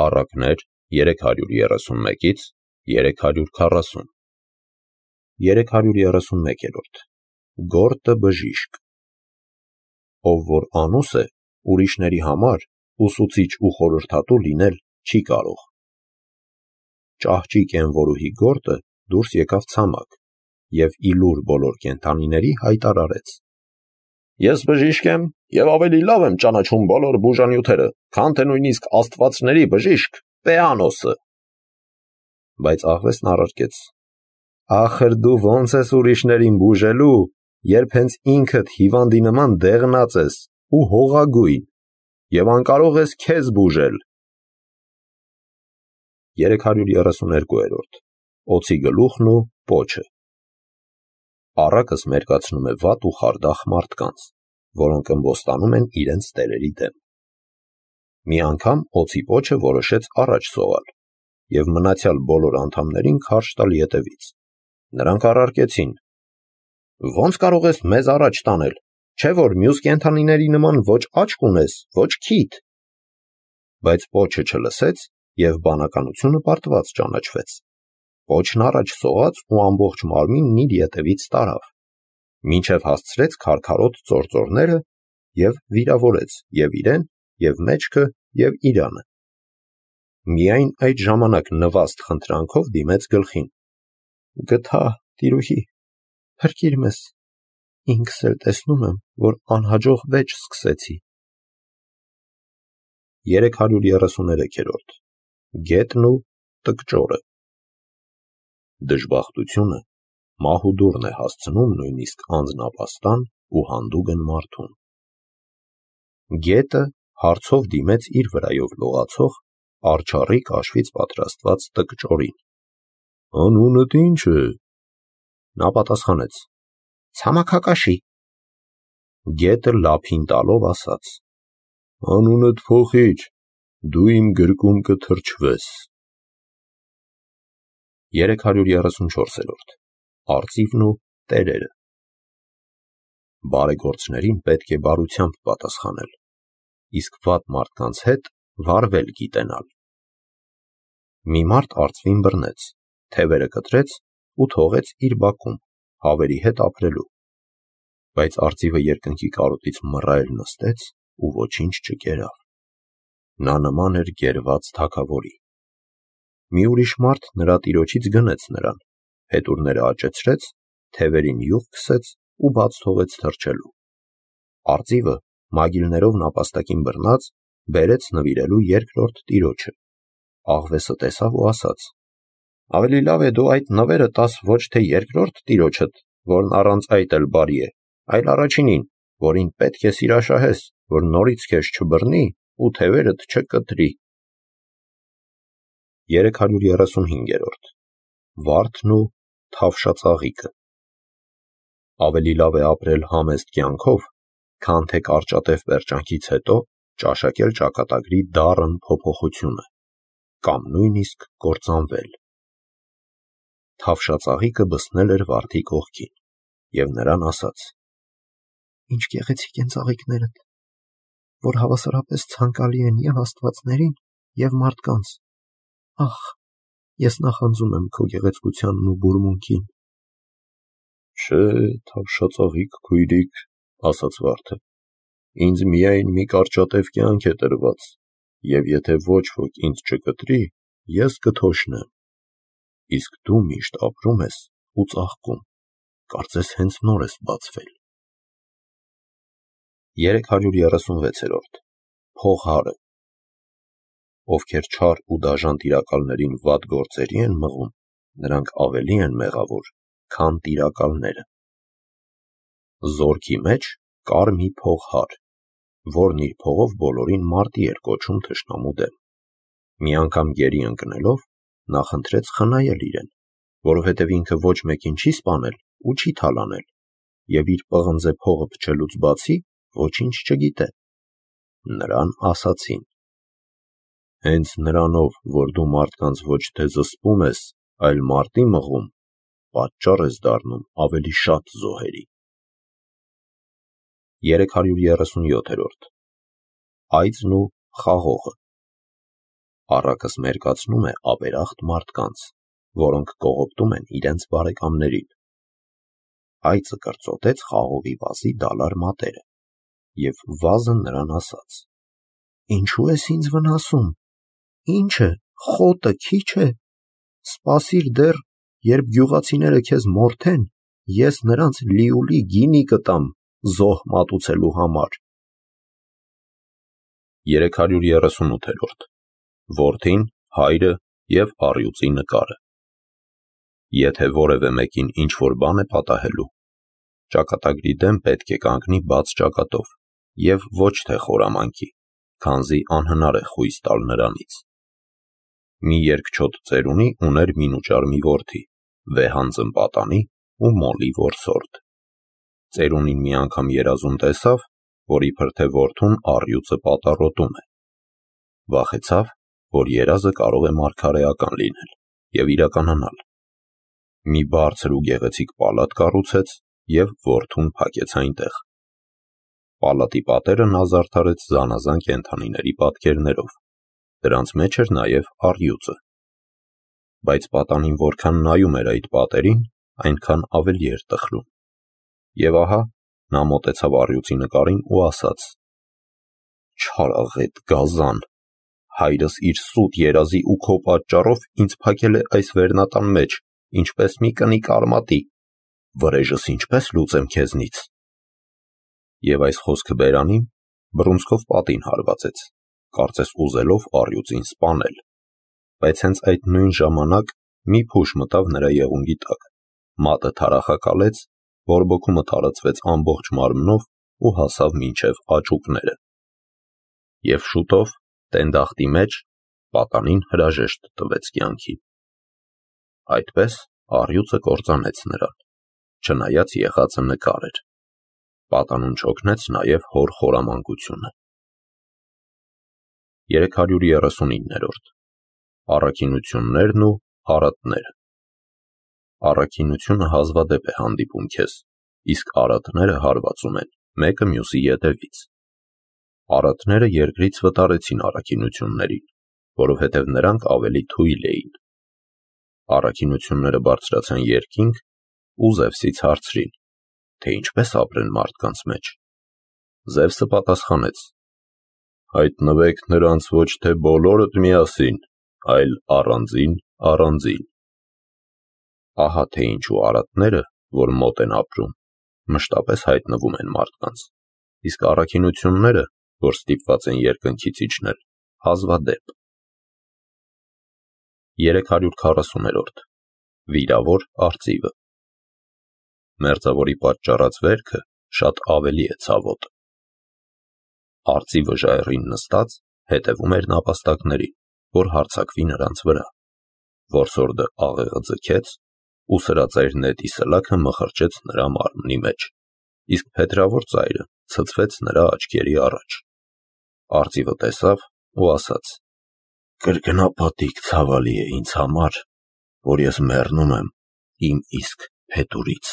Առակներ 331-ից 340 331-րդ Գորտը բժիշկ Ով որ անուս է, ուրիշների համար ուսուցիչ ու խորհրդատու լինել չի կարող։ Ճահճի կենվորուհի գորտը դուրս եկավ ցամաք և իլուր բոլոր կենդանիների հայտարարեց. Ես բժիշկ եմ և ավելի լավ եմ ճանաչում բոլոր բուժանյութերը, քան թե նույնիսկ աստվածների բժիշկ Պեանոսը։ Բայց աղվեսն առարկեց. Ախր դու ո՞նց ես ուրիշներին բուժելու, երբ հենց ինքդ հիվանդի նման դեղնած ես ու հողագույն և անկարող ես քեզ բուժել։ 332 Օձի գլուխն ու պոչը Առակս մերկացնում է վատ ու խարդախ մարդկանց, որոնք ըմբոստանում են իրենց տերերի դեմ։ Մի անգամ օձի պոչը որոշեց առաջ սողալ և մնացյալ բոլոր անդամներին քարշ տալ ետևից։ Նրանք առարկեցին. Ո՞նց կարող ես մեզ առաջ տանել, չէ՞ որ մյուս կենդանիների նման ոչ աչք ունես, ոչ քիթ։ Բայց պոչը չլսեց և բանականությունը պարտված ճանաչվեց։ Պոչն առաջ սողաց ու ամբողջ մարմինն իր ետևից տարավ, մինչև հասցրեց քարքարոտ ծործորները և վիրավորեց և իրեն, և մեջքը, և իրանը։ Միայն այդ ժամանակ նվաստ խնդրանքով դիմեց գլխին. Գթա, տիրուհի, փրկիր մեզ, ինքս էլ տեսնում եմ, որ անհաջող վեճ սկսեցի։ 333 Գետն ու տկճորը Դժբախտությունը մահուդուրն է հասցնում նույնիսկ անձնապաստան ու հանդուգն մարդուն։ Գետը հարցով դիմեց իր վրայով լողացող արջառիկ աշվից պատրաստված տկճորին։ Անունդ ի՞նչ է։ Նա պատասխանեց. Ցամաքակաշի։ Գետը լափին տալով ասաց. Անունդ փոխիր, դու իմ գրկում կթրջվես։ 334 Արծիվն ու տերերը Բարեգործներին պետք է բարությամբ պատասխանել, իսկ վատ մարդկանց հետ վարվել գիտենալ։ Մի մարդ արծվին բռնեց, թևերը կտրեց ու թողեց իր բակում, հավերի հետ ապրելու։ Բայց արծիվը երկնքի կարոտից մռայլ նստեց ու ոչինչ չկերավ։ Նա նման էր գերված թագավորի։ Մի ուրիշ մարդ նրա տիրոջից գնեց նրան, փետուրները աճեցրեց, թևերին յուղ քսեց ու բաց թողեց թրջելու։ Արծիվը, մագիլներով նապաստակին բռնած, բերեց նվիրելու երկրորդ տիրոջը։ Աղվեսը տեսավ ու ասաց. Ավելի լավ է դու այդ նվերը տաս ոչ թե երկրորդ տիրոջդ, որն առանց այդ էլ բարի է, այլ առաջինին, որին պետք է սիրաշահես, որ նորից քեզ չբռնի ու թևերդ չկտրի։ 335 Վարդն ու թավշածաղիկը Ավելի լավ է ապրել համեստ կյանքով, քան թե կարճատև պերճանքից հետո ճաշակել ճակատագրի դառն փոփոխությունը, կամ նույնիսկ կործանվել։ Թավշածաղիկը բսնել էր վարդի կողքին և նրան ասաց. Ինչ գեղեցիկ են ծաղիկներդ, որ հավասարապես ցանկալի են և աստվածներին, և մարդկանց։ Ախ, ես նախանձում եմ քո գեղեցկությանն ու բուրմունքին։ Չէ, թավշածաղիկ քույրիկ, ասաց վարդը, ինձ միայն մի կարճատև կյանք է տրված, և եթե ոչ ոք ինձ չկտրի, ես կթոշնեմ։ Իսկ դու միշտ ապրում ես ու ծաղկում, կարծես հենց նոր ես բացվել։ 336 Փողհարը Ովքեր չար ու դաժան տիրակալներին վատ գործերի են մղում, նրանք ավելի են մեղավոր, քան տիրակալները։ Զորքի մեջ կար մի փողհար, որն իր փողով բոլորին մարտի էր կոչում թշնամու դեմ։ Մի անգամ գերի ընկնելով, նա խնդրեց խնայել իրեն, որովհետև ինքը ոչ մեկին չի սպանել ու չի թալանել, և իր պղնձե փողը փչելուց բացի ոչինչ չգիտե։ Նրան ասացին. Հենց նրանով, որ դու մարդկանց ոչ թե զսպում ես, այլ մարտի մղում, պատճառ ես դառնում ավելի շատ զոհերի։ 337 Այծն ու խաղողը առակս մերկացնում է ապերախտ մարդկանց, որոնք կողոպտում են իրենց բարեկամներին։ Այծը կրծոտեց խաղողի վազի դալար մատերը, և վազը նրան ասաց. «Ինչու ես ինձ վնասում, ինչ է, խոտը քիչ է, սպասիր դեռ, երբ գյուղացիները քեզ մորթեն, ես նրանց լիուլի գինի կտամ զոհ մատուցելու համար»։ 338-րդ Որդին, հայրը և առյուծի նկարը։ Եթե որևէ մեկին ինչ-որ բան է պատահելու, ճակատագրի դեմ պետք է կանգնի բաց ճակատով և ոչ թե խորամանկի, քանզի անհնար է խույս տալ նրանից։ Մի երկչոտ ծերունի ուներ մինուճար մի որդի, վեհանձն պատանի ու մոլի որսորդ։ Ծերունին մի անգամ երազում տեսավ, որ իբր թե որդուն առյուծը պատառոտում է։ Վախեցավ, որ երազը կարող է մարգարեական լինել և իրականանալ։ Մի բարձր ու գեղեցիկ պալատ կառուցեց և որդուն փակեց այնտեղ։ Պալատի պատերը նա զարդարեց զանազան կենդանիների պատկերներով, դրանց մեջ էր նաև առյուծը։ Բայց պատանին որքան նայում էր այդ պատերին, այնքան ավելի էր տխրում։ Եվ ահա նա մոտեցավ առյուծի նկարին ու ասաց. «Չարաղետ գազան, հայրս իր սուտ երազի ու քո պատճառով ինձ փակել է այս վերնատան մեջ, ինչպես մի կնիկ արմատի, վրեժս ինչպես լուծեմ քեզնից»։ Եվ այս խոսքը բերանին բռունցքով պատին հարվածեց, կարծես ուզելով առյուծին սպանել, բայց հենց այդ նույն ժամանակ մի փուշ մտավ նրա եղունգի տակ, մատը թարախակալեց, բորբոքումը տարածվեց ամբողջ մարմնով ու հասավ մինչև աճուկները։ Եվ շուտով տենդախտի մեջ պատանին հրաժեշտ տվեց կյանքին։ Այդպես առյուծը կործանեց նրան, չնայած եղածը նկար էր։ Պատանուն չօգնեց նաև հոր խորամանկությունը։ 339-րդ Առաքինություններն ու արատները։ Առաքինությունը հազվադեպ է հանդիպում քեզ, իսկ արատները հարվածում են մեկը մյուսի ետևից։ Արատները երկրից վտարեցին առաքինություններին, որովհետև նրանք ավելի թույլ էին։ Առաքինությունները բարձրացան երկինք ու Զևսից հարցրին, թե ինչպես ապրեն մարդկանց մեջ։ Զևսը պատասխանեց. «Հայտնվեք նրանց ոչ թե բոլորդ միասին, այլ առանձին։ Ահա թե ինչու արատները, որ մոտ են ապրում, մշտապես հայտնվում են մարդկանց, իսկ առաքինությունները, որ ստիպված են երկնքից իջնել, հազվադեպ»։ 340-րդ Վիրավոր արծիվը։ Մերձավորի պատճառած վերքը շատ ավելի է ցավոտ։ Արծիվը ժայռին նստած հետևում էր նապաստակներին, որ հարձակվի նրանց վրա։ Որսորդը աղեղը ձգեց ու սրածայր նետի սլաքը մխրճեց նրա մարմնի մեջ, իսկ փետրավոր ծայրը ցցվեց նրա աչքերի առաջ։ Արծիվը տեսավ ու ասաց. «Կրկնապատիկ ցավալի է ինձ համար, որ ես մեռնում եմ իմ իսկ փետուրից»։